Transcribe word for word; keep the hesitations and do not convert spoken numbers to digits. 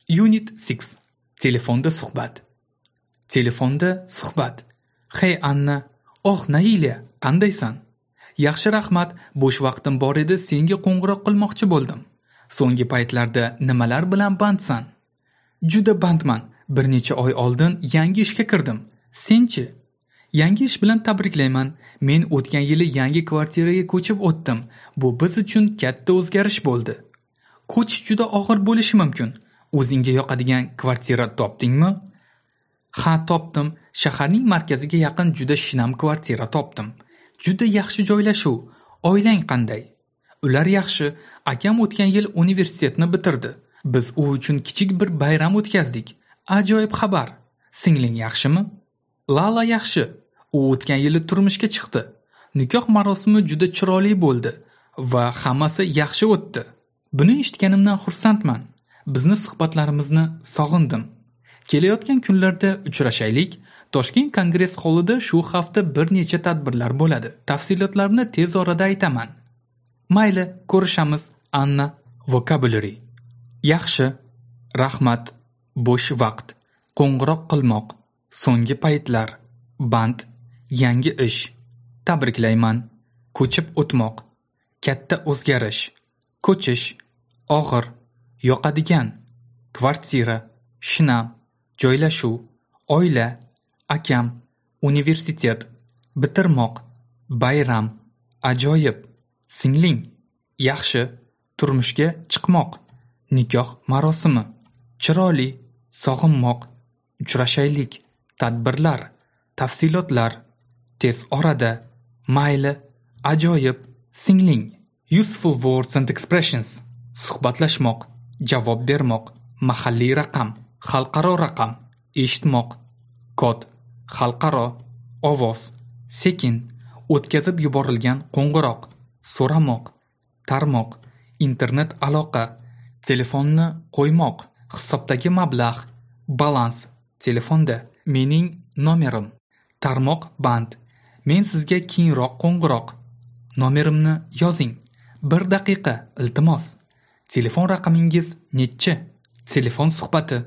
Unit six. Telefonda suhbat. Telefonda suhbat. Hey Anna, oh Nailya, qandaysan? Yaxshi, rahmat. Bo'sh vaqtim bor edi, senga qo'ng'iroq qilmoqchi bo'ldim. So'nggi paytlarda nimalar bilan bandsan? Juda bandman. Bir necha oy oldin yangi ishga kirdim. Sen-chi? Yangi ish bilan tabriklayman. Men o'tgan yili yangi kvartiraga ko'chib o'tdim. Bu biz uchun katta o'zgarish bo'ldi. Ko'chish juda og'ir bo'lishi mumkin. O'zingga yoqadigan kvartira topdingmi? Ha, topdim. Shaharning markaziga yaqin juda shinam kvartira topdim. Juda yaxshi joylashuv. Oilang qanday? Ular yaxshi. Akam o'tgan yil universitetni bitirdi. Biz u uchun kichik bir bayram o'tkazdik. Ajoyib xabar. Singling yaxshimi? Lala yaxshi. U o'tgan yili turmushga chiqdi. Nikoh marosimi juda chiroyli bo'ldi va hammasi yaxshi o'tdi. Buni eshitganimdan xursandman. Bizni suhbatlarimizni sog'indim. Kelayotgan kunlarda uchrashaylik. Toshkent Kongress holida shu hafta bir necha tadbirlar bo'ladi. Tafsilotlarni tez orada aytaman. Mayli, ko'rishamiz, Anna. Vocabulary. Yaxshi, rahmat, bo'sh vaqt, qo'ng'iroq qilmoq, so'nggi paytlar, band, yangi ish, tabriklayman, ko'chib o'tmoq, katta o'zgarish, ko'chish, og'ir, yoqadigan, kvartira, shinam, joylashuv, oila, akam, universitet, bitirmoq, bayram, ajoyib, singling, yaxshi, turmushga chiqmoq, nikoh marosimi, chiroyli, sog'inmoq, uchrashaylik, tadbirlar, tafsilotlar, tez orada, mayli, ajoyib, singling. Useful words and expressions. Suhbatlashmoq, javob bermoq, mahalliy raqam, xalqaro raqam, eshitmoq, kod, xalqaro, ovoz, sekin, o'tkazib yuborilgan qo'ng'iroq, so'ramoq, tarmoq, internet aloqa, telefonni qo'ymoq, hisobdagi mablag', balans, telefonda, mening nomerim, tarmoq band, men sizga keyinroq qo'ng'iroq, nomerimni yozing, bir daqiqa, iltimos, telefon raqamingiz nechi, telefon suhbati.